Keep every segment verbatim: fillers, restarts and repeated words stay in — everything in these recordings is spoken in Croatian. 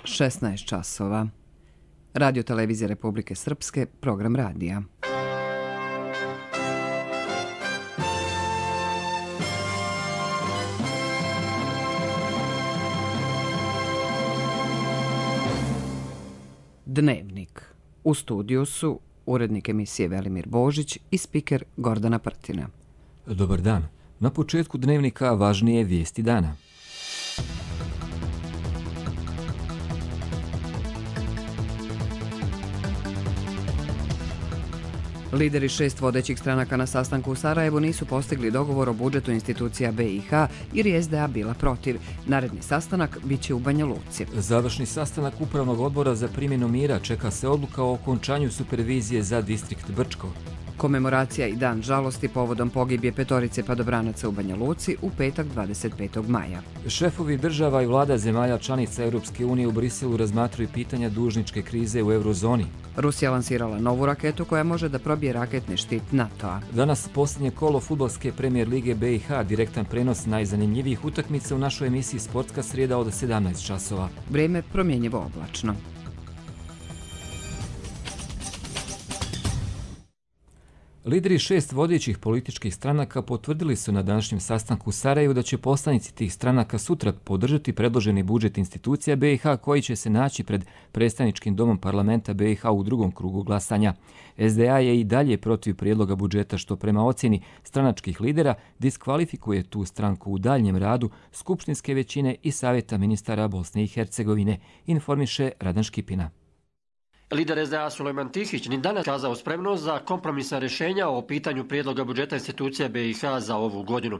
šesnaest časova. Radio Televizija Republike Srpske, program radija. Dnevnik. U studiju su urednik emisije Velimir Božić i spiker Gordana Prtina. Dobar dan. Na početku dnevnika važnije vijesti dana. Lideri šest vodećih stranaka na sastanku u Sarajevu nisu postigli dogovor o budžetu institucija B i H jer je S D A bila protiv. Naredni sastanak biće u Banja Luci. Završni sastanak Upravnog odbora za primjenu mira, čeka se odluka o okončanju supervizije za distrikt Brčko. Komemoracija i dan žalosti povodom pogibije petorice padobranaca u Banja Luci u petak dvadeset petog maja. Šefovi država i vlada zemalja članica Europske unije u Briselu razmatraju pitanja dužničke krize u eurozoni. Rusija lansirala novu raketu koja može da probije raketni štit NATO-a. Danas posljednje kolo fudbalske premijer lige B i H, direktan prenos najzanimljivijih utakmica u našoj emisiji Sportska srijeda od sedamnaest časova. Vrijeme promjenjivo oblačno. Lideri šest vodećih političkih stranaka potvrdili su na današnjem sastanku u Sarajevu da će poslanici tih stranaka sutra podržati predloženi budžet institucija B i H koji će se naći pred predstavničkim domom parlamenta B i H u drugom krugu glasanja. S D A je i dalje protiv prijedloga budžeta što prema ocjeni stranačkih lidera diskvalifikuje tu stranku u daljnjem radu skupštinske većine i savjeta ministara Bosne i Hercegovine, informiše Radan Škipina. Lider S D A Sulejman Tihić ni danas kazao spremnost za kompromisna rješenja o pitanju prijedloga budžeta institucija B i H za ovu godinu.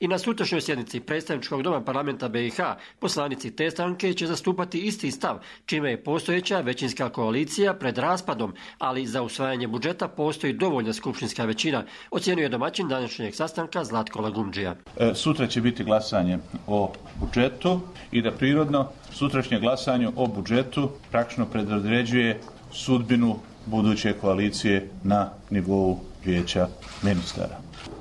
I na sutrašnjoj sjednici predstavničkog doma parlamenta B i H poslanici te stranke će zastupati isti stav, čime je postojeća većinska koalicija pred raspadom, ali za usvajanje budžeta postoji dovoljna skupštinska većina, ocjenjuje domaćin današnjeg sastanka Zlatko Lagumdžija. E, sutra će biti glasanje o budžetu i da prirodno sutrašnje glasanje o budžetu praktično predodređuje sudbinu buduće koalicije na nivou vijeća ministara.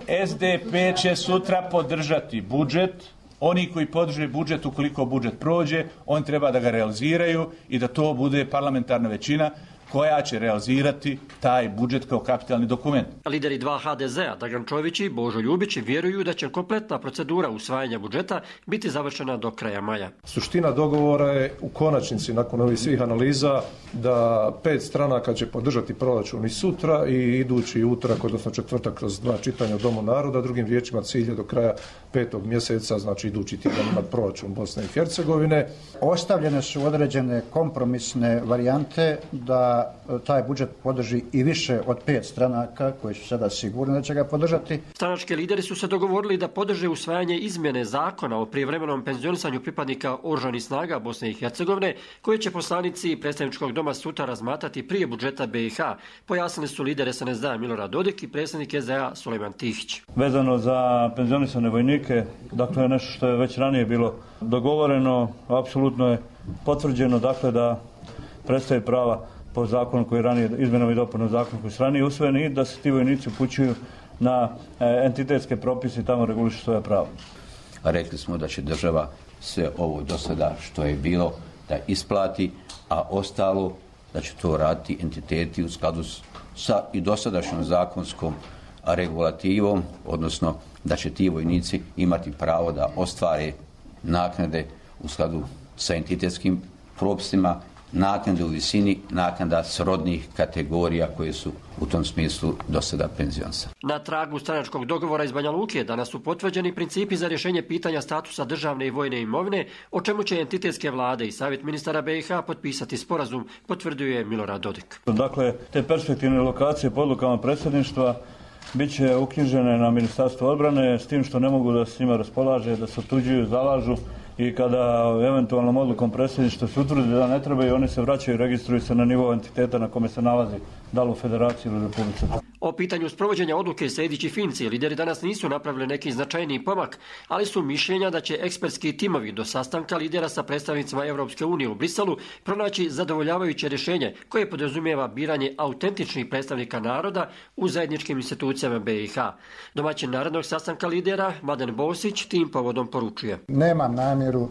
S D P će sutra podržati budžet. Oni koji podrže budžet, ukoliko budžet prođe, on treba da ga realiziraju i da to bude parlamentarna većina koja će realizirati taj budžet kao kapitalni dokument. Lideri dva H D Z-a, Dragan Čović i Božo Ljubić, vjeruju da će kompletna procedura usvajanja budžeta biti završena do kraja maja. Suština dogovora je u konačnici, nakon ovih svih analiza, da pet stranaka će podržati proračun i sutra i idući utorak, odnosno četvrtak kroz dva čitanja u Domu naroda, drugim riječima cilj je do kraja petog mjeseca, znači idući tjedan imati proračun Bosne i Hercegovine. Ostavljene su određene kompromisne varijante da taj budžet podrži i više od pet stranaka koji su sada sigurni da će ga podržati. Stranački lideri su se dogovorili da podrže usvajanje izmjene zakona o prijevremenom penzionisanju pripadnika oružanih snaga Bosne i Hercegovine, koje će poslanici predstavničkog doma sutra razmatrati prije budžeta B i H, pojasnili su lider S N S D-a Milorad Dodik i predsjednik S D A Sulejman Tihić. Vezano za penzionisane vojnike, dakle je nešto što je već ranije bilo dogovoreno, apsolutno je potvrđeno, dakle da prestaje prava po zakonu koji je ranije, izmjenama i dopunom zakona koji su ranije usvojeni i da se ti vojnici upućuju na e, entitetske propise i tamo regulišu svoja prava. Rekli smo da će država sve ovo do sada što je bilo da isplati, a ostalo da će to raditi entiteti u skladu sa i dosadašnjom zakonskom regulativom, odnosno da će ti vojnici imati pravo da ostvare naknade u skladu sa entitetskim propisima, naknade u visini naknada srodnih kategorija koje su u tom smislu do sada penzionsa. Na tragu stranačkog dogovora iz Banja Luke danas su potvrđeni principi za rješenje pitanja statusa državne i vojne imovine, o čemu će entitetske vlade i savjet ministara B i H potpisati sporazum, potvrdio je Milorad Dodik. Dakle, te perspektivne lokacije po odlukama predsjedništva bit će uknjižene na Ministarstvo odbrane, s tim što ne mogu da s njima raspolaže, da se otuđuju, zalažu i kada eventualnom odlukom predsjedništva se utvrdi da ne trebaju, oni se vraćaju i registruju se na nivou entiteta na kome se nalazi, da li u Federaciji ili Republici. O pitanju sprovođenja odluke sljedeći Finci lideri danas nisu napravili neki značajniji pomak, ali su mišljenja da će ekspertski timovi do sastanka lidera sa predstavnicima Europske unije u Briselu pronaći zadovoljavajuće rješenje koje podrazumijeva biranje autentičnih predstavnika naroda u zajedničkim institucijama B i H. Domaćin narednog sastanka lidera Mladen Bosić tim povodom poručuje. Nemam namjeru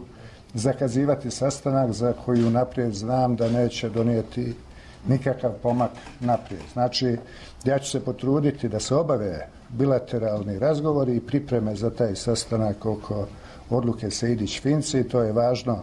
zakazivati sastanak za koji unaprijed znam da neće donijeti nikakav pomak naprijed. Znači, ja ću se potruditi da se obave bilateralni razgovori i pripreme za taj sastanak oko odluke Sejdić-Finci. To je važno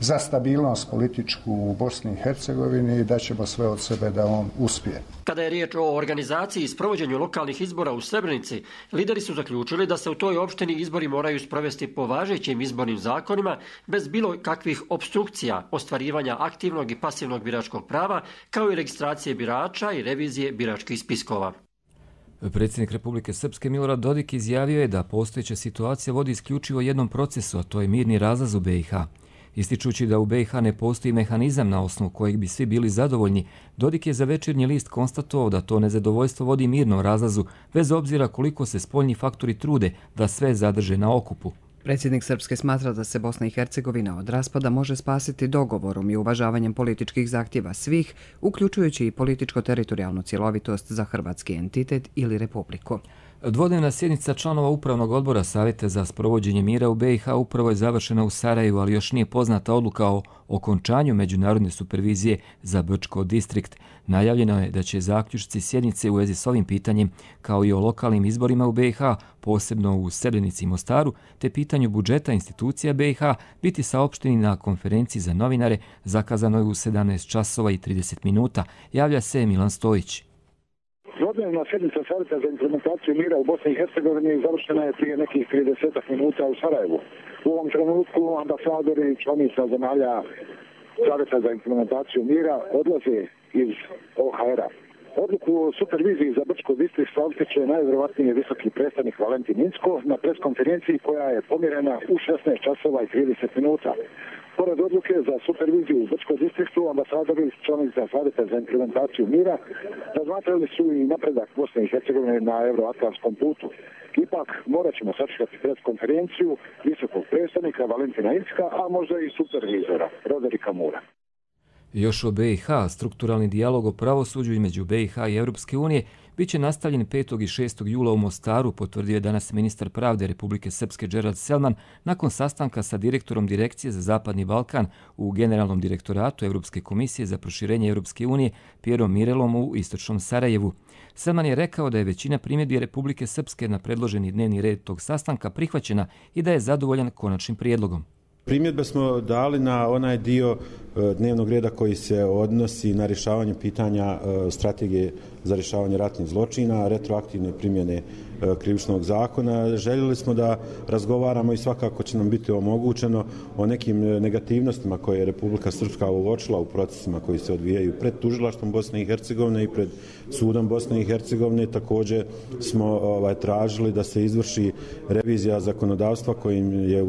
za stabilnost političku u Bosni i Hercegovini i da ćemo sve od sebe da on uspije. Kada je riječ o organizaciji i sprovođenju lokalnih izbora u Srebrenici, lideri su zaključili da se u toj opštini izbori moraju sprovesti po važećim izbornim zakonima bez bilo kakvih opstrukcija, ostvarivanja aktivnog i pasivnog biračkog prava, kao i registracije birača i revizije biračkih spiskova. Predsjednik Republike Srpske Milorad Dodik izjavio je da postojeća situacija vodi isključivo jednom procesu, a to je mirni razlaz u be i ha. Ističući da u be i ha ne postoji mehanizam na osnovu kojeg bi svi bili zadovoljni, Dodik je za Večernji list konstatovao da to nezadovoljstvo vodi mirnom razlazu, bez obzira koliko se spoljni faktori trude da sve zadrže na okupu. Predsjednik Srpske smatra da se Bosna i Hercegovina od raspada može spasiti dogovorom i uvažavanjem političkih zahtjeva svih, uključujući i političko-teritorijalnu cjelovitost za hrvatski entitet ili republiku. Dvodnevna sjednica članova Upravnog odbora Savjeta za sprovođenje mira u be i ha upravo je završena u Sarajevu, ali još nije poznata odluka o okončanju međunarodne supervizije za Brčko distrikt. Najavljeno je da će zaključci sjednice u vezi s ovim pitanjem, kao i o lokalnim izborima u be i ha, posebno u Srebrenici i Mostaru, te pitanju budžeta institucija be i ha, biti saopšteni na konferenciji za novinare zakazanoj u sedamnaest časova i trideset minuta, javlja se Milan Stojić. Dvodnevna sjednica Savjeta za implementaciju mira u Bosni i Hercegovini završena je prije nekih trideset minuta u Sarajevu. U ovom trenutku ambasadori i članica zemalja Savjeta za implementaciju mira odlaze iz o ha er a. Odluku o superviziji za Brčko distrikt saopštit će najvjerovatnije visoki predstavnik Valentin Incko na preskonferenciji koja je pomjerena u šesnaest časova i trideset minuta. Pored odluke za superviziju u Brčko distriktu, ambasadori i članica Savjeta za implementaciju mira razmatrali su i napredak Bosne i Hercegovine na euroatlantskom putu. Ipak morat ćemo sačekati preskonferenciju visokog predstavnika Valentina Incka, a možda i supervizora Roderika Mura. Još o be i ha, strukturalni dijalog o pravosuđu između be i ha i Europske unije bit će nastavljen petog i šestog jula u Mostaru, potvrdio je danas ministar pravde Republike Srpske Džerad Selman nakon sastanka sa direktorom Direkcije za Zapadni Balkan u Generalnom direktoratu Europske komisije za proširenje Europske unije Pjerom Mirelom u istočnom Sarajevu. Selman je rekao da je većina primjedbi Republike Srpske na predloženi dnevni red tog sastanka prihvaćena i da je zadovoljan konačnim prijedlogom. Primjedbe smo dali na onaj dio dnevnog reda koji se odnosi na rješavanje pitanja strategije za rješavanje ratnih zločina, retroaktivne primjene krivičnog zakona. Željeli smo da razgovaramo i svakako će nam biti omogućeno o nekim negativnostima koje je Republika Srpska uočila u procesima koji se odvijaju pred tužilaštvom Bosne i Hercegovine i pred sudom Bosne i Hercegovine. Također smo ovaj, tražili da se izvrši revizija zakonodavstva kojim je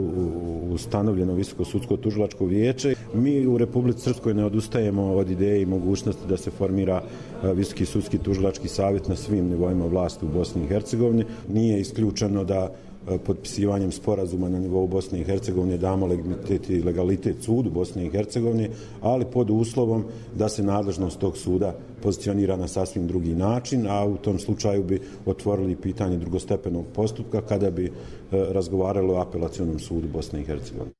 ustanovljeno Visoko sudsko tužilačko vijeće. Mi u Republici Srpskoj ne odustajemo od ideje i mogućnosti da se formira Visoki sudski tužilački savjet na svim nivoima vlasti u Bosni i Hercegovini. Nije isključeno da potpisivanjem sporazuma na nivou Bosne i Hercegovine damo legitimitet i legalitet sudu Bosne i Hercegovine, ali pod uslovom da se nadležnost tog suda pozicionira na sasvim drugi način, a u tom slučaju bi otvorili pitanje drugostepenog postupka kada bi razgovaralo o apelacionom sudu Bosne i Hercegovine.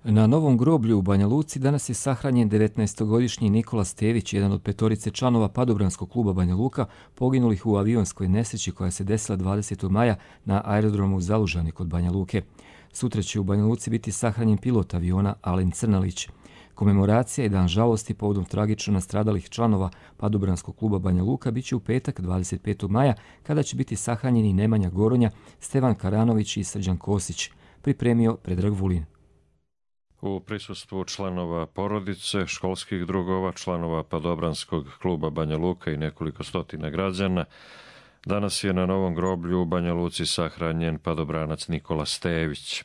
Na Novom groblju u Banja Luci danas je sahranjen devetnaestogodišnji Nikola Stević, jedan od petorice članova padobranskog kluba Banja Luka, poginulih u avionskoj nesreći koja se desila dvadesetog maja na aerodromu Zalužani kod Banja Luke. Sutra će u Banja Luci biti sahranjen pilot aviona Alen Crnalić. Komemoracija i dan žalosti povodom tragično nastradalih članova padobranskog kluba Banja Luka biće u petak dvadeset petog maja, kada će biti sahranjeni Nemanja Goronja, Stevan Karanović i Srđan Kosić. Pripremio Predrag Vulin. U prisustvu članova porodice, školskih drugova, članova padobranskog kluba Banja Luka i nekoliko stotina građana, danas je na Novom groblju u Banja Luci sahranjen padobranac Nikola Stević.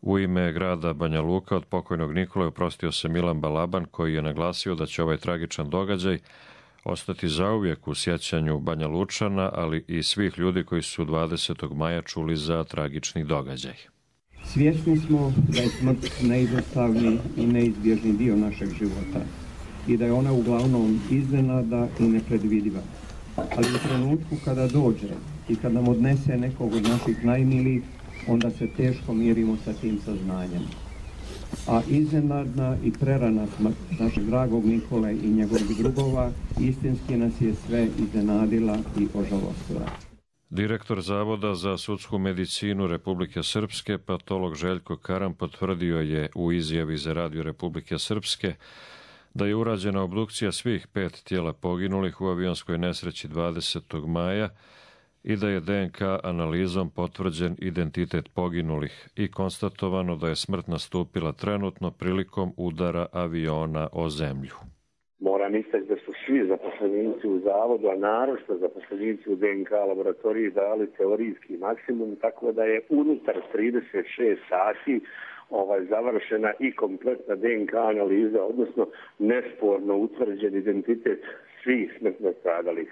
U ime grada Banja Luka od pokojnog Nikole oprostio se Milan Balaban, koji je naglasio da će ovaj tragičan događaj ostati zauvijek u sjećanju Banja Lučana, ali i svih ljudi koji su dvadesetog maja čuli za tragični događaj. Svjesni smo da je smrt neizostavni i neizbježni dio našeg života i da je ona uglavnom iznenada i nepredvidiva. ali u trenutku kada dođe i kada nam odnese nekog od naših najmilijih, onda se teško mirimo sa tim saznanjem. A iznenadna i prerana smrt našeg dragog Nikole i njegovih drugova istinski nas je sve iznenadila i ožalostila. Direktor Zavoda za sudsku medicinu Republike Srpske, patolog Željko Karam, potvrdio je u izjavi za Radio Republike Srpske da je urađena obdukcija svih pet tijela poginulih u avionskoj nesreći dvadesetog maja i da je de en ka analizom potvrđen identitet poginulih i konstatovano da je smrt nastupila trenutno prilikom udara aviona o zemlju. Moram istaći da su svi zaposlenici u zavodu, a naročito zaposlenici u de en ka laboratoriji dali teorijski maksimum, tako da je unutar trideset šest sati ovaj, završena i kompletna de en ka analiza, odnosno nesporno utvrđen identitet svih smrtno stradalih.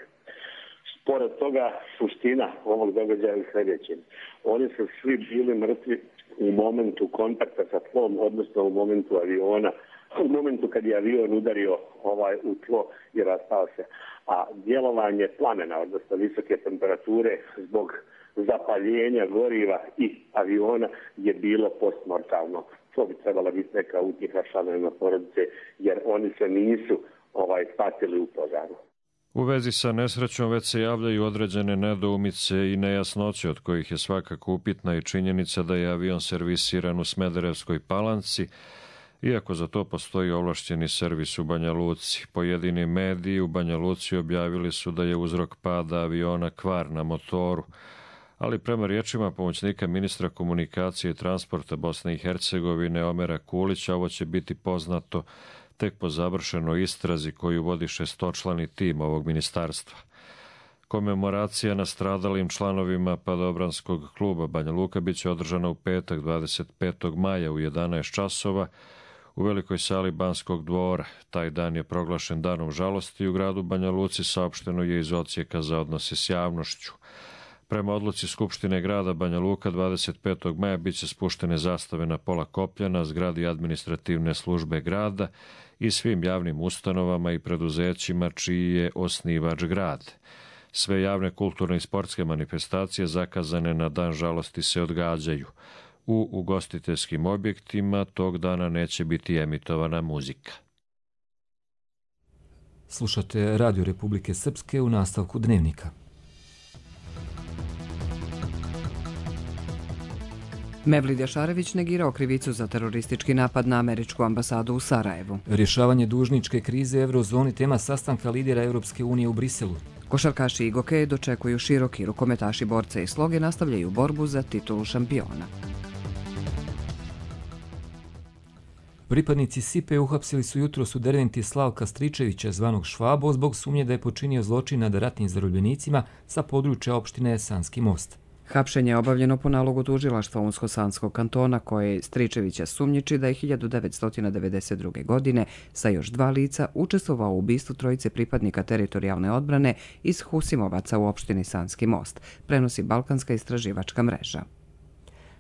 Pored toga, suština ovog događaja je sljedeće. Oni su svi bili mrtvi u momentu kontakta sa tlom, odnosno u momentu aviona, u momentu kad je avion udario ovaj u tlo i rastao se. A djelovanje plamena, odnosno visoke temperature zbog zapaljenja goriva i aviona je bilo postmortalno. To bi trebala biti neka utjeha članovima porodice, jer oni se nisu ovaj patili u požaru. U vezi sa nesrećom već se javljaju određene nedoumice i nejasnoće, od kojih je svakako upitna i činjenica da je avion servisiran u Smederevskoj Palanci, iako za to postoji ovlašćeni servis u Banja Luci. Pojedini mediji u Banja Luci objavili su da je uzrok pada aviona kvar na motoru, ali prema riječima pomoćnika ministra komunikacije i transporta Bosne i Hercegovine Omera Kulića, ovo će biti poznato tek po završenoj istrazi koju vodi šestočlani tim ovog ministarstva. Komemoracija nastradalim članovima Padobranskog kluba Banja Luka biće održana u petak dvadeset petog maja u jedanaest časova u velikoj sali Banskog dvora. Taj dan je proglašen danom žalosti u gradu Banja Luci, saopšteno je iz Odsjeka za odnose s javnošću. Prema odluci Skupštine grada Banja Luka dvadeset petog maja biće spuštene zastave na pola koplja na zgradi administrativne službe grada i svim javnim ustanovama i preduzećima čiji je osnivač grad. Sve javne kulturne i sportske manifestacije zakazane na dan žalosti se odgađaju. U ugostiteljskim objektima tog dana neće biti emitovana muzika. Slušate Radio Republike Srpske u nastavku Dnevnika. Mevlid Jašarević negirao krivicu za teroristički napad na američku ambasadu u Sarajevu. Rješavanje dužničke krize Eurozoni tema sastanka lidera Europske unije u Briselu. Košarkaši i gokeji dočekuju široki, rukometaši borce i sloge nastavljaju borbu za titulu šampiona. Pripadnici Sipe uhapsili su jutros u Derventi Slavka Stričevića, zvanog Švabo, zbog sumnje da je počinio zločin nad ratnim zarobljenicima sa područja opštine Sanski Most. Hapšenje je obavljeno po nalogu tužilaštva Unsko-Sanskog kantona, koje Stričevića sumnjiči da je hiljadu devetsto devedeset druge. godine sa još dva lica učestvovao u ubistvu trojice pripadnika teritorijalne odbrane iz Husimovaca u opštini Sanski Most, prenosi Balkanska istraživačka mreža.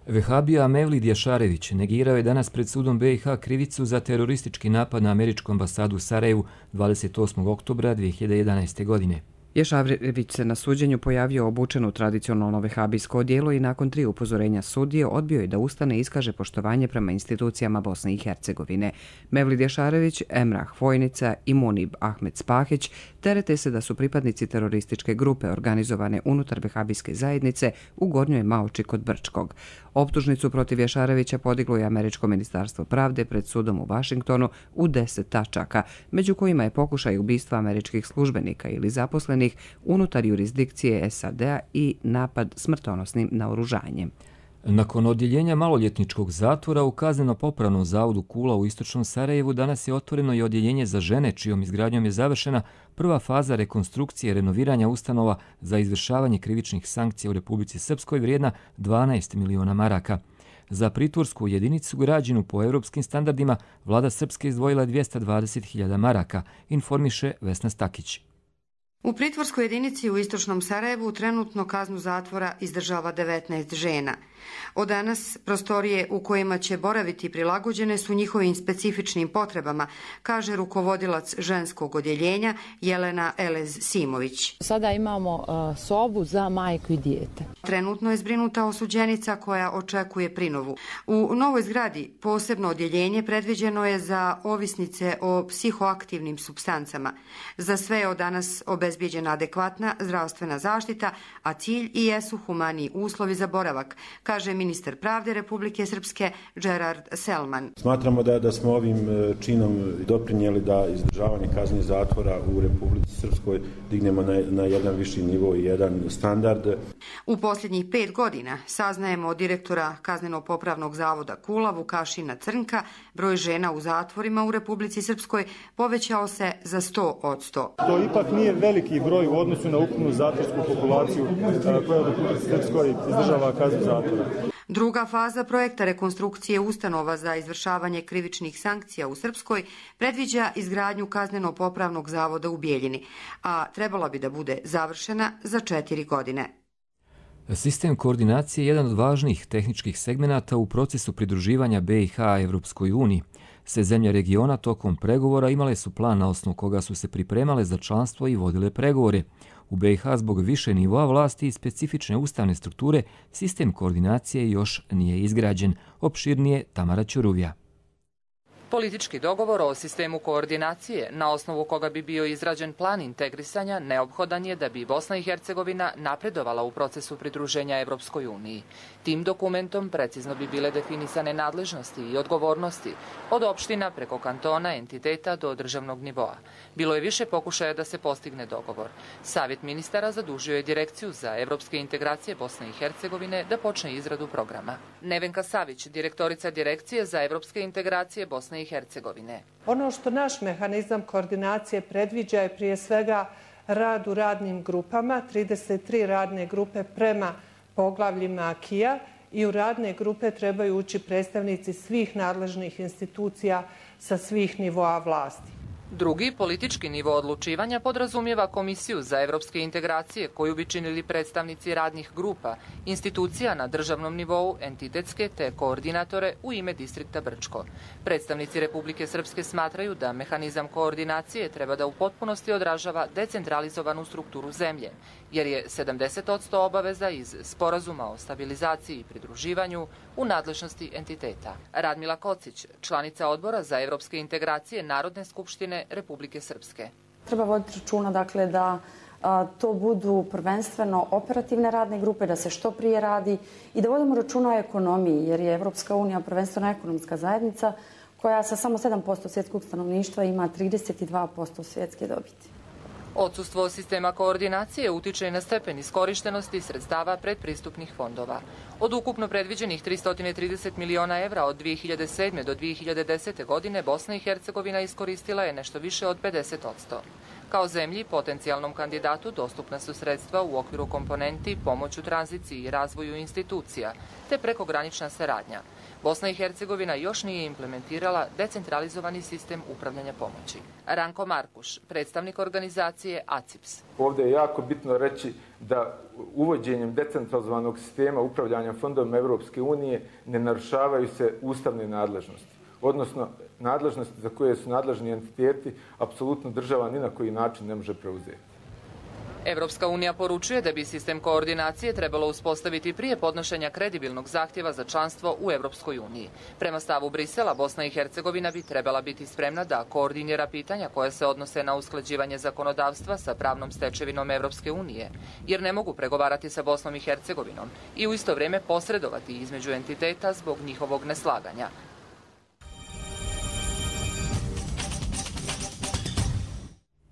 Vehabija Mevlid Jašarević negirao je danas pred sudom be i ha krivicu za teroristički napad na američku ambasadu u Sarajevu dvadeset osmog oktobra dvije hiljade jedanaeste. godine. Jašarević se na suđenju pojavio obučen u tradicionalno vehabijsko odijelo i nakon tri upozorenja sudije odbio je da ustane i iskaže poštovanje prema institucijama Bosne i Hercegovine. Mevlid Jašarević, Emrah Vojnica i Munib Ahmed Spahić terete se da su pripadnici terorističke grupe organizovane unutar vehabijske zajednice u Gornjoj Maoči kod Brčkog. Optužnicu protiv Jašarevića podiglo je Američko ministarstvo pravde pred sudom u Vašingtonu u deset tačaka, među kojima je pokušaj ubistva američkih službenika ili zaposlenih unutar jurisdikcije es a de a i napad smrtonosnim naoružanjem. Nakon odjeljenja maloljetničkog zatvora u kazneno-popravnom zavodu Kula u istočnom Sarajevu danas je otvoreno i odjeljenje za žene, čijom izgradnjom je završena prva faza rekonstrukcije renoviranja ustanova za izvršavanje krivičnih sankcija u Republici Srpskoj vrijedna dvanaest miliona maraka. Za pritvorsku jedinicu građenu po europskim standardima vlada Srpske izdvojila dvjesto dvadeset hiljada maraka, informiše Vesna Stakić. U pritvorskoj jedinici u istočnom Sarajevu trenutno kaznu zatvora izdržava devetnaest žena. Od danas prostorije u kojima će boraviti prilagođene su njihovim specifičnim potrebama, kaže rukovodilac ženskog odjeljenja Jelena Elez-Simović. Sada imamo uh, sobu za majku i dijete. Trenutno je zbrinuta osuđenica koja očekuje prinovu. U novoj zgradi posebno odjeljenje predviđeno je za ovisnice o psihoaktivnim supstancama. Za sve je od danas obezbijeđena adekvatna zdravstvena zaštita, a cilj i jesu humaniji uslovi za boravak, kaže ministar pravde Republike Srpske Gerard Selman. Smatramo da, da smo ovim činom doprinijeli da izdržavanje kazne zatvora u Republici Srpskoj dignemo na, na jedan viši nivo i jedan standard. U posljednjih pet godina, saznajemo od direktora Kazneno-popravnog zavoda Kula Vukašina Crnka, broj žena u zatvorima u Republici Srpskoj povećao se za sto odsto. To ipak nije veliki broj u odnosu na ukupnu zatvorsku populaciju koja u Republici Srpskoj izdržava kaznu zatvora. Druga faza projekta rekonstrukcije ustanova za izvršavanje krivičnih sankcija u Srpskoj predviđa izgradnju Kazneno-popravnog zavoda u Bijeljini, a trebala bi da bude završena za četiri godine. Sistem koordinacije je jedan od važnijih tehničkih segmenata u procesu pridruživanja B i H Evropskoj uniji. Sve zemlje regiona tokom pregovora imale su plan na osnovu koga su se pripremale za članstvo i vodile pregovore. U B i H zbog više nivoa vlasti i specifične ustavne strukture sistem koordinacije još nije izgrađen. Opširnije Tamara Ćuruvija. Politički dogovor o sistemu koordinacije, na osnovu koga bi bio izrađen plan integrisanja, neophodan je da bi Bosna i Hercegovina napredovala u procesu pridruženja Evropskoj uniji. Tim dokumentom precizno bi bile definisane nadležnosti i odgovornosti, od opština preko kantona, entiteta do državnog nivoa. Bilo je više pokušaja da se postigne dogovor. Savjet ministara zadužio je Direkciju za evropske integracije Bosne i Hercegovine da počne izradu programa. Nevenka Savić, direktorica Direkcije za evropske integracije Bosne i Hercegovine. Ono što naš mehanizam koordinacije predviđa je prije svega rad u radnim grupama, trideset tri radne grupe prema poglavljima akija i u radne grupe trebaju ući predstavnici svih nadležnih institucija sa svih nivoa vlasti. Drugi, politički nivo odlučivanja podrazumijeva Komisiju za evropske integracije koju bi činili predstavnici radnih grupa, institucija na državnom nivou, entitetske te koordinatore u ime distrikta Brčko. Predstavnici Republike Srpske smatraju da mehanizam koordinacije treba da u potpunosti odražava decentralizovanu strukturu zemlje, jer je sedamdeset odsto obaveza iz Sporazuma o stabilizaciji i pridruživanju u nadležnosti entiteta. Radmila Kocić, članica Odbora za evropske integracije Narodne skupštine Republike Srpske. Treba voditi računa dakle, da a, to budu prvenstveno operativne radne grupe, da se što prije radi i da vodimo računa o ekonomiji, jer je Evropska unija prvenstveno ekonomska zajednica koja sa samo sedam posto svjetskog stanovništva ima trideset dva posto svjetske dobiti. Odsustvo sistema koordinacije utiče na stepen iskorištenosti sredstava predpristupnih fondova. Od ukupno predviđenih tristo trideset miliona evra od dvije hiljade sedme. do dvije hiljade desete. godine Bosna i Hercegovina iskoristila je nešto više od pedeset odsto. Kao zemlji, potencijalnom kandidatu dostupna su sredstva u okviru komponenti pomoć u tranziciji i razvoju institucija, te prekogranična saradnja. Bosna i Hercegovina još nije implementirala decentralizovani sistem upravljanja pomoći. Ranko Markuš, predstavnik organizacije A C I P S. Ovdje je jako bitno reći da uvođenjem decentralizovanog sistema upravljanja fondovima Evropske unije ne narušavaju se ustavne nadležnosti, odnosno nadležnosti za koje su nadležni entiteti, apsolutno država ni na koji način ne može preuzeti. Evropska unija poručuje da bi sistem koordinacije trebalo uspostaviti prije podnošenja kredibilnog zahtjeva za članstvo u Evropskoj uniji. Prema stavu Brisela, Bosna i Hercegovina bi trebala biti spremna da koordinira pitanja koje se odnose na usklađivanje zakonodavstva sa pravnom stečevinom Evropske unije, jer ne mogu pregovarati sa Bosnom i Hercegovinom i u isto vrijeme posredovati između entiteta zbog njihovog neslaganja.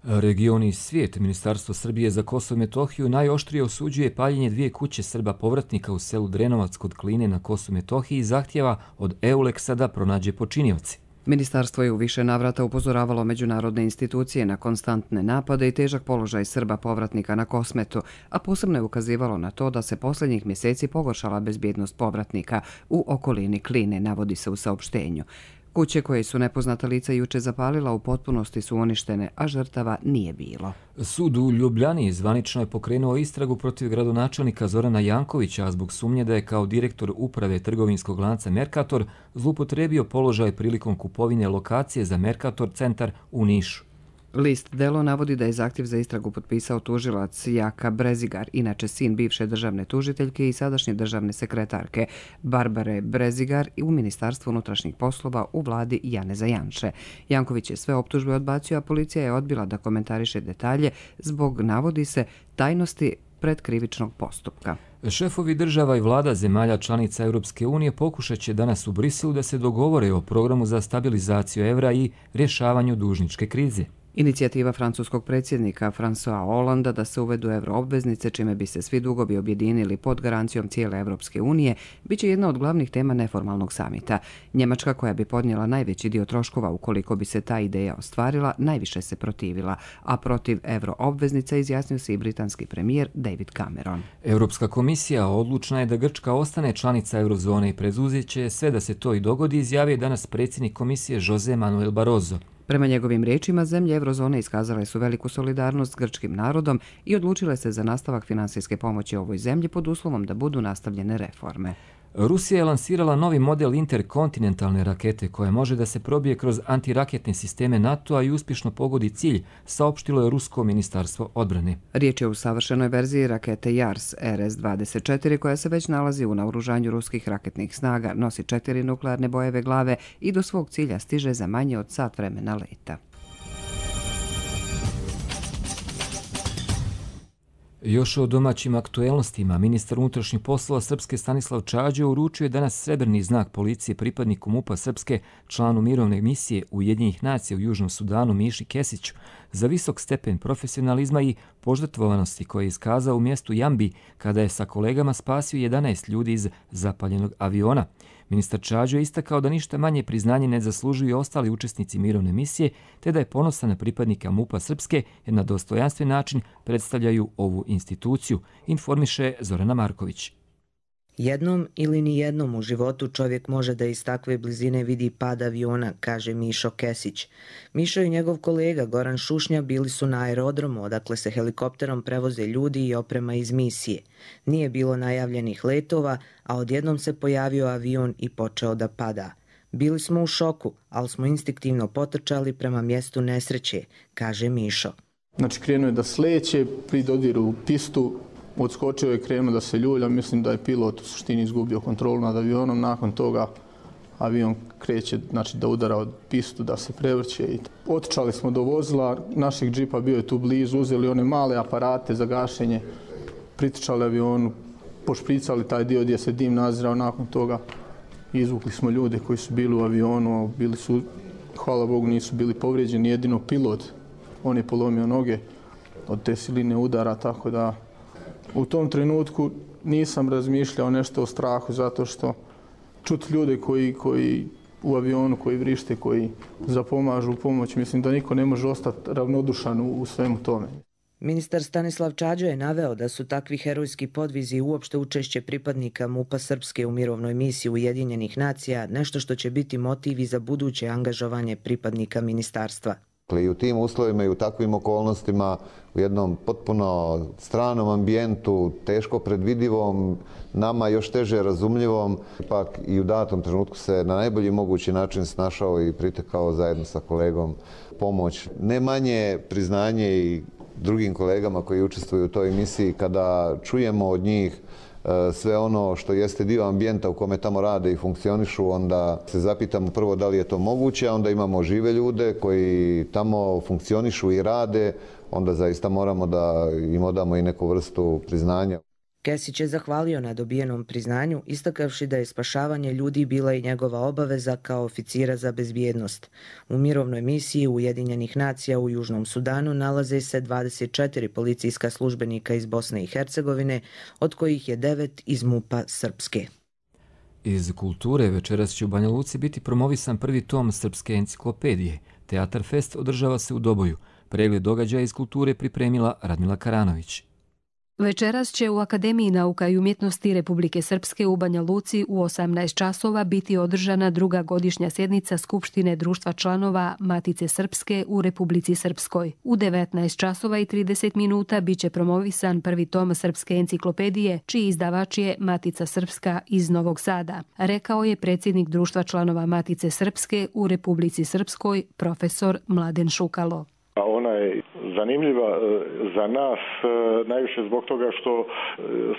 Region i svijet, Ministarstvo Srbije za Kosovo i Metohiju najoštrije osuđuje paljenje dvije kuće Srba povratnika u selu Drenovac kod Kline na Kosovu i Metohiji i zahtjeva od Euleksa da pronađe počinioci. Ministarstvo je u više navrata upozoravalo međunarodne institucije na konstantne napade i težak položaj Srba povratnika na Kosmetu, a posebno je ukazivalo na to da se posljednjih mjeseci pogoršala bezbjednost povratnika u okolini Kline, navodi se u saopštenju. Kuće koje su nepoznata lica juče zapalila u potpunosti su uništene, a žrtava nije bilo. Sud u Ljubljani zvanično je pokrenuo istragu protiv gradonačelnika Zorana Jankovića zbog sumnje da je kao direktor uprave trgovinskog lanca Mercator zloupotrebio položaj prilikom kupovine lokacije za Mercator centar u Nišu. List Delo navodi da je zahtjev za istragu potpisao tužilac Jaka Brezigar, inače sin bivše državne tužiteljke i sadašnje državne sekretarke Barbare Brezigar u Ministarstvu unutrašnjih poslova u vladi Janeza Janše. Janković je sve optužbe odbacio, a policija je odbila da komentariše detalje zbog, navodi se, tajnosti predkrivičnog postupka. Šefovi država i vlada zemalja članica Europske unije pokušat će danas u Briselu da se dogovore o programu za stabilizaciju evra i rješavanju dužničke krize. Inicijativa francuskog predsjednika François Hollanda da se uvedu euroobveznice, čime bi se svi dugovi objedinili pod garancijom cijele Europske unije, bit će jedna od glavnih tema neformalnog samita. Njemačka, koja bi podnijela najveći dio troškova ukoliko bi se ta ideja ostvarila, najviše se protivila, a protiv euroobveznica izjasnio se i britanski premijer David Cameron. Europska komisija odlučna je da Grčka ostane članica eurozone i preduzet će sve da se to i dogodi, izjavio danas predsjednik komisije Jose Manuel Barroso. Prema njegovim riječima, zemlje eurozone iskazale su veliku solidarnost s grčkim narodom i odlučile se za nastavak finansijske pomoći ovoj zemlji pod uslovom da budu nastavljene reforme. Rusija je lansirala novi model interkontinentalne rakete koja može da se probije kroz antiraketne sisteme NATO-a i uspješno pogodi cilj, saopštilo je Rusko ministarstvo odbrane. Riječ je o savršenoj verziji rakete Jars R S dvadeset četiri koja se već nalazi u naoružanju ruskih raketnih snaga, nosi četiri nuklearne bojeve glave i do svog cilja stiže za manje od sat vremena leta. Još o domaćim aktuelnostima, ministar unutrašnjih poslova Srpske Stanislav Čađo uručio je danas srebrni znak policije pripadniku MUP-a Srpske, članu mirovne misije Ujedinjenih nacija u Južnom Sudanu Miši Kesiću, za visok stepen profesionalizma i požrtvovanosti koje je iskazao u mjestu Jambi kada je sa kolegama spasio jedanaest ljudi iz zapaljenog aviona. Ministar Čađo je istakao da ništa manje priznanje ne zaslužuju i ostali učesnici mirovne misije, te da je ponosan na pripadnika MUP-a Srpske jer na dostojanstven način predstavljaju ovu instituciju, informiše Zorana Marković. Jednom ili ni jednom u životu čovjek može da iz takve blizine vidi pad aviona, kaže Mišo Kesić. Mišo i njegov kolega Goran Šušnja bili su na aerodromu, odakle se helikopterom prevoze ljudi i oprema iz misije. Nije bilo najavljenih letova, a odjednom se pojavio avion i počeo da pada. Bili smo u šoku, ali smo instinktivno potrčali prema mjestu nesreće, kaže Mišo. Znači krenuo je da sleće, pri dodiru pistu, odskočio je, krenuo da se ljulja, mislim da je pilot u suštini izgubio kontrolu nad avionom, nakon toga avion kreće, znači da udara od pistu, da se prevrće. I otičali smo do vozila, našeg džipa bio je tu blizu, uzeli one male aparate za gašenje, pritičali avionu, pošpricali taj dio gdje se dim nazirao, nakon toga izvukli smo ljude koji su bili u avionu, bili su, hvala Bogu, nisu bili povrijeđeni, jedino pilot, on je polomio noge od te siline udara, tako da u tom trenutku nisam razmišljao nešto o strahu, zato što čuti ljude koji, koji u avionu, koji vrište, koji zapomažu u pomoć, mislim da niko ne može ostati ravnodušan u, u svemu tome. Ministar Stanislav Čađo je naveo da su takvi herojski podvizi i uopšte učešće pripadnika MUP-a Srpske u mirovnoj misiji Ujedinjenih nacija nešto što će biti motiv i za buduće angažovanje pripadnika ministarstva. I u tim uslovima i u takvim okolnostima, u jednom potpuno stranom ambijentu, teško predvidivom, nama još teže razumljivom, ipak i u datom trenutku se na najbolji mogući način snašao i pritekao zajedno sa kolegom pomoć. Ne manje priznanje i drugim kolegama koji učestvuju u toj emisiji kada čujemo od njih sve ono što jeste dio ambijenta u kome tamo rade i funkcionišu, onda se zapitamo prvo da li je to moguće, a onda imamo žive ljude koji tamo funkcionišu i rade, onda zaista moramo da im odamo i neku vrstu priznanja. Kesić je zahvalio na dobijenom priznanju, istakavši da je spašavanje ljudi bila i njegova obaveza kao oficira za bezbjednost. U mirovnoj misiji Ujedinjenih nacija u Južnom Sudanu nalaze se dvadeset četiri policijska službenika iz Bosne i Hercegovine, od kojih je devet iz MUP-a Srpske. Iz kulture večeras će u Banja Luci biti promovisan prvi tom srpske enciklopedije. Teatar Fest održava se u Doboju. Pregled događaja iz kulture pripremila Radmila Karanović. Večeras će u Akademiji nauka i umjetnosti Republike Srpske u Banja Luci u osamnaest časova biti održana druga godišnja sjednica Skupštine društva članova Matice Srpske u Republici Srpskoj. U devetnaest časova i trideset minuta biće promovisan prvi tom Srpske enciklopedije, čiji izdavač je Matica Srpska iz Novog Sada, rekao je predsjednik društva članova Matice Srpske u Republici Srpskoj, profesor Mladen Šukalo. Ona je zanimljiva za nas najviše zbog toga što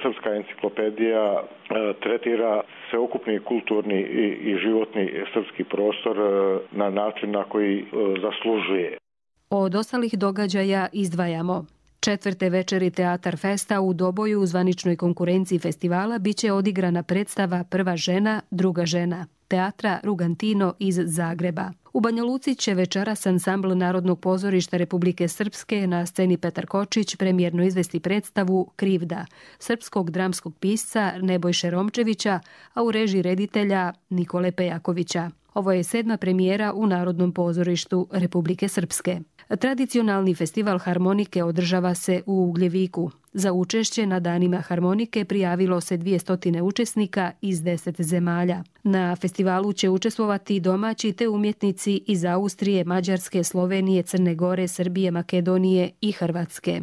Srpska enciklopedija tretira sveukupni kulturni i životni srpski prostor na način na koji zaslužuje. Od ostalih događaja izdvajamo: četvrte večeri Teatar Festa u Doboju u zvaničnoj konkurenciji festivala biće odigrana predstava Prva žena, druga žena Teatra Rugantino iz Zagreba. U Banja Luci će večeras ansambl Narodnog pozorišta Republike Srpske na sceni Petar Kočić premijerno izvesti predstavu Krivda srpskog dramskog pisca Nebojše Romčevića, a u režiji reditelja Nikole Pejakovića. Ovo je sedma premijera u Narodnom pozorištu Republike Srpske. Tradicionalni festival harmonike održava se u Ugljeviku. Za učešće na danima harmonike prijavilo se dvjesto učesnika iz deset zemalja. Na festivalu će učestvovati domaći te umjetnici iz Austrije, Mađarske, Slovenije, Crne Gore, Srbije, Makedonije i Hrvatske.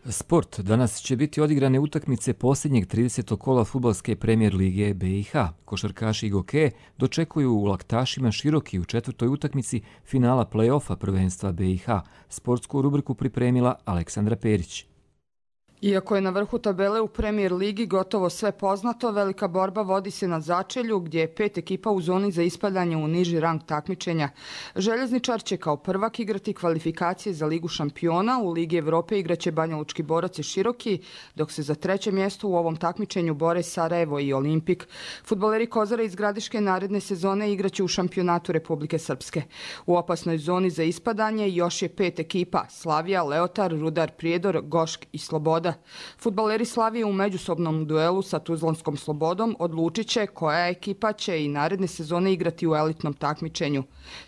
Sport. Danas će biti odigrane utakmice posljednjeg tridesetog kola fudbalske premijer lige B i H. Košarkaši i gokeje dočekuju u Laktašima Široki u četvrtoj utakmici finala play-offa prvenstva B i H. Sportsku rubriku pripremila Aleksandra Perić. Iako je na vrhu tabele u Premier ligi gotovo sve poznato, velika borba vodi se na začelju gdje je pet ekipa u zoni za ispadanje u niži rang takmičenja. Željezničar će kao prvak igrati kvalifikacije za Ligu šampiona, u Ligi Evrope igraće Banjalučki Borac i Široki, dok se za treće mjesto u ovom takmičenju bore Sarajevo i Olimpik. Fudbaleri Kozara iz Gradiške naredne sezone igraće u šampionatu Republike Srpske. U opasnoj zoni za ispadanje još je pet ekipa: Slavija, Leotar, Rudar Prijedor, Gošk i Sloboda. Fudbaleri Slavije u međusobnom duelu sa Tuzlanskom Slobodom odlučit će koja ekipa će i naredne sezone igrati u elitnom takmičenju.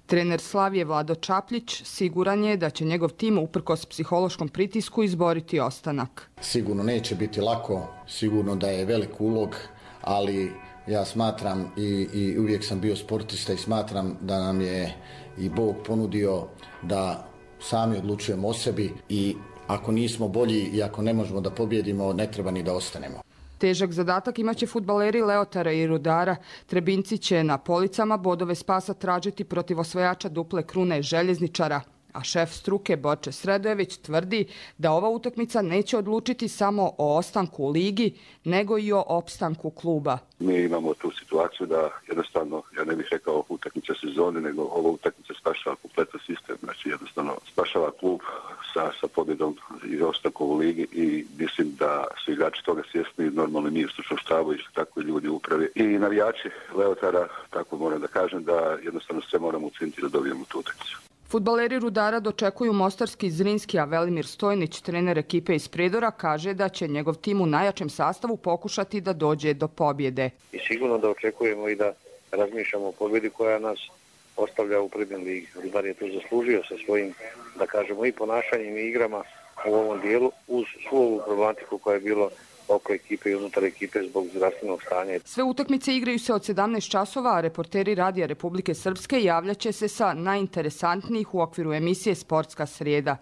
Trener Slavije Vlado Čapljić siguran je da će njegov tim uprkos psihološkom pritisku izboriti ostanak. Sigurno neće biti lako, sigurno da je velik ulog, ali ja smatram i, i uvijek sam bio sportista i smatram da nam je i Bog ponudio da sami odlučujemo o sebi i ako nismo bolji i ako ne možemo da pobjedimo, ne treba ni da ostanemo. Težak zadatak imaće fudbaleri Leotara i Rudara. Trebinci će na policama bodove spasa tražiti protiv osvajača duple krune Željezničara. A šef struke Borče Sredojević tvrdi da ova utakmica neće odlučiti samo o ostanku u ligi, nego i o opstanku kluba. Mi imamo tu situaciju da jednostavno, ja ne bih rekao utakmica sezone, nego ova utakmica spašava kompletan sistem. Znači jednostavno spašava klub sa, sa pobjedom i ostankom u ligi i mislim da su igrači toga svjesni, normalno mi u stručnom štabu i tako i ljudi u upravi. I navijači Leotara, tako moram da kažem, da jednostavno sve moramo učiniti da dobijemo tu utakmicu. Fudbaleri Rudara dočekuju mostarski Zrinski, a Velimir Stojnić, trener ekipe iz Prijedora, kaže da će njegov tim u najjačem sastavu pokušati da dođe do pobjede. I sigurno da očekujemo i da razmišljamo o pobjedi koja nas ostavlja u Premier ligi. Rudar je tu zaslužio sa svojim, da kažemo, i ponašanjem i igrama u ovom dijelu uz svu ovu problematiku koja je bilo oko ekipe i unutar ekipe zbog zdravstvenog stanja. Sve utakmice igraju se od sedamnaest časova, a reporteri Radija Republike Srpske javljaće se sa najinteresantnijih u okviru emisije Sportska srijeda.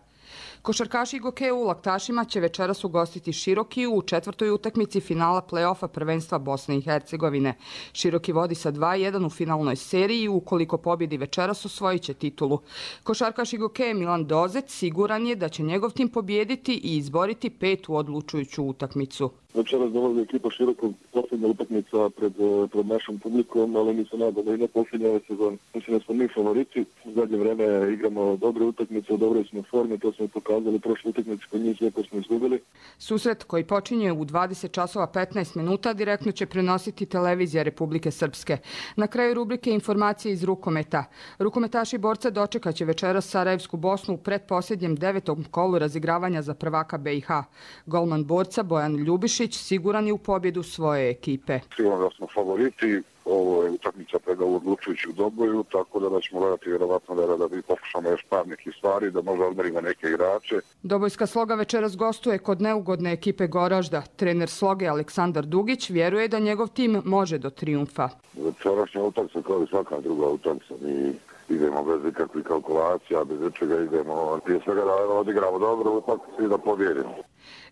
Košarkaši i gokeje u Laktašima će večeras ugostiti Široki u četvrtoj utakmici finala play-offa prvenstva Bosne i Hercegovine. Široki vodi sa dva jedan u finalnoj seriji i ukoliko pobjedi večeras osvojit će titulu. Košarkaš i gokeje Milan Dozec siguran je da će njegov tim pobijediti i izboriti petu odlučujuću utakmicu. Večeras dolazi ekipa Širokog, posljednja utakmica pred, pred našom publikom, ali mi se nadamo da i ne posljednja ove sezone. Mislim da smo mi favoriti. U zadnje vreme igramo dobre utakmice, u dobroj smo formi, to smo pokazali prošle utakmice kod njih, lijepo smo izgubili. Susret koji počinje u dvadeset časova petnaest minuta direktno će prenositi televizija Republike Srpske. Na kraju rubrike informacije iz rukometa. Rukometaši borca dočekaće večeras Sarajevsku Bosnu u pretposljednjem devetom kolu razigravanja za prvaka B i H. Golman borca Bojan Ljubišić siguran je u pobjedu svoje ekipe. Sigurno da smo favoriti, ovo je utakmica preda u odlučujuću doboju, tako da, da ćemo gledati vjerovatno da, da bi pokušamo još par nekih stvari, da možda odmerimo neke igrače. Dobojska Sloga večeras gostuje kod neugodne ekipe Goražda. Trener Sloge Aleksandar Dugić vjeruje da njegov tim može do trijumfa. Večerašnja utakmica kao i svaka druga utakmica. Mi idemo bez ikakvih kalkulacija, bez čega idemo prije svega da odigramo dobro utakmicu i da pobjedimo.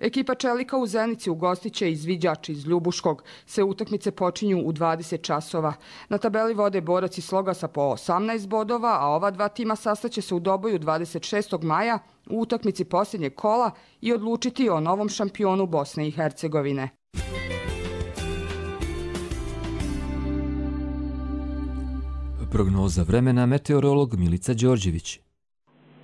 Ekipa Čelika u Zenici ugostit će izviđač iz Ljubuškog. Sve utakmice počinju u dvadeset časova. Na tabeli vode Borac i Sloga sa po osamnaest bodova, a ova dva tima sastaće se u Doboju dvadeset šestog maja u utakmici posljednjeg kola i odlučiti o novom šampionu Bosne i Hercegovine. Prognoza vremena meteorolog Milica Đorđević.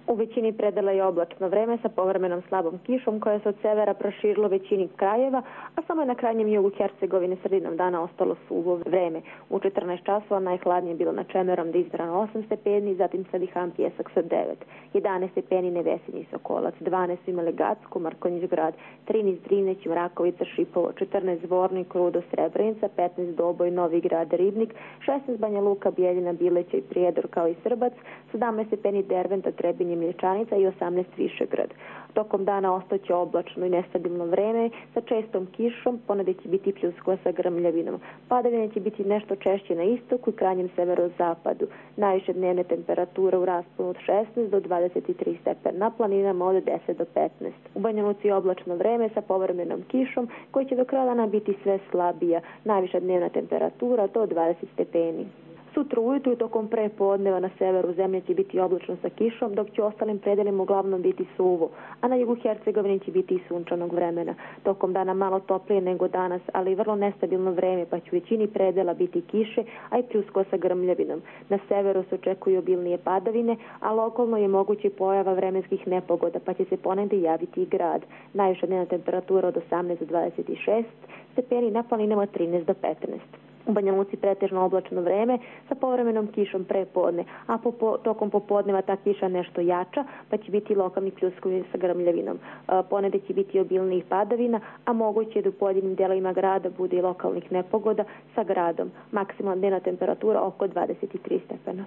U većini predela je oblačno vreme sa povremenom slabom kišom koja se od severa proširilo većini krajeva, a samo je na krajnjem jugu Hercegovine sredinom dana ostalo suvo vreme. U četrnaest časova najhladnije je bilo na Čemerom da izbrano osam stepeni, zatim Sadihan Pjesak sa devet. jedanaest stepeni Nevesinji i Sokolac, dvanaest imali Gacko, Markonjić grad, trinaest Drinić, Mrakovica, Šipovo, četrnaest Zvornik, Rudo, Srebrenica, petnaest Doboj, Novi grad, Ribnik, šesnaest Banja Luka, Bijeljina, Bileća i Prijedor kao i Srbac, sedamnaest stepeni Derventa, Trebinje, Mlječanica i osamnaest Višegrad. Tokom dana ostaće oblačno i nestabilno vreme sa čestom kišom, ponegdje će biti pljuskova sa grmljavinom. Padavine će biti nešto češće na istoku i krajnjem severozapadu. Najviše dnevne temperature u rasponu od šesnaest do dvadeset tri stepena, na planinama od deset do petnaest. U Banja Luci oblačno vreme sa povremenom kišom koji će do kraja dana biti sve slabija. Najviša dnevna temperatura do dvadeset stepeni. Sutra ujutru tokom prepodneva na severu zemlje će biti oblačno sa kišom, dok će u ostalim predelima uglavnom biti suvo, a na jugu Hercegovine će biti i sunčanog vremena. Tokom dana malo toplije nego danas, ali i vrlo nestabilno vreme, pa će u većini predela biti kiše, a i pljusko sa grmljavinom. Na severu se očekuju obilnije padavine, a lokalno je moguće pojava vremenskih nepogoda, pa će se ponegdje javiti i grad. Najviša dnevna temperatura od osamnaest do dvadeset šest stepeni, na planinama od trinaest do petnaest. U Banja Luci pretežno oblačno vreme sa povremenom kišom prepodne, a po, po, tokom popodneva ta kiša nešto jača, pa će biti lokalni pljuskovi sa grmljavinom. E, ponegdje će biti obilnijih padavina, a moguće je da u pojedinim delovima grada bude i lokalnih nepogoda sa gradom. Maksimalna dnevna temperatura oko dvadeset tri stepena.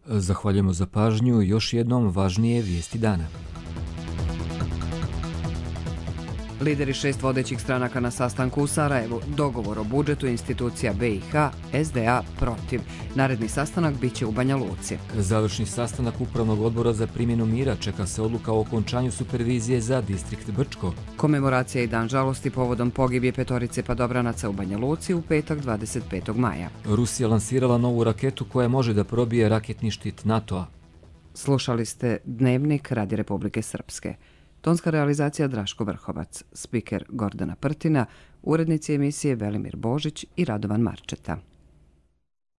Zahvaljujemo za pažnju. Još jednom važnije vijesti dana. Lideri šest vodećih stranaka na sastanku u Sarajevu, dogovor o budžetu institucija B i H, S D A protiv. Naredni sastanak biće u Banja Luci. Završni sastanak Upravnog odbora za primjenu mira, čeka se odluka o okončanju supervizije za distrikt Brčko. Komemoracija i dan žalosti povodom pogibije petorice padobranaca u Banja Luci u petak dvadeset petog maja. Rusija lansirala novu raketu koja može da probije raketni štit NATO-a. Slušali ste Dnevnik Radi Republike Srpske. Tonska realizacija Draško Vrhovac, spiker Gordana Prtina, urednici emisije Velimir Božić i Radovan Marčeta.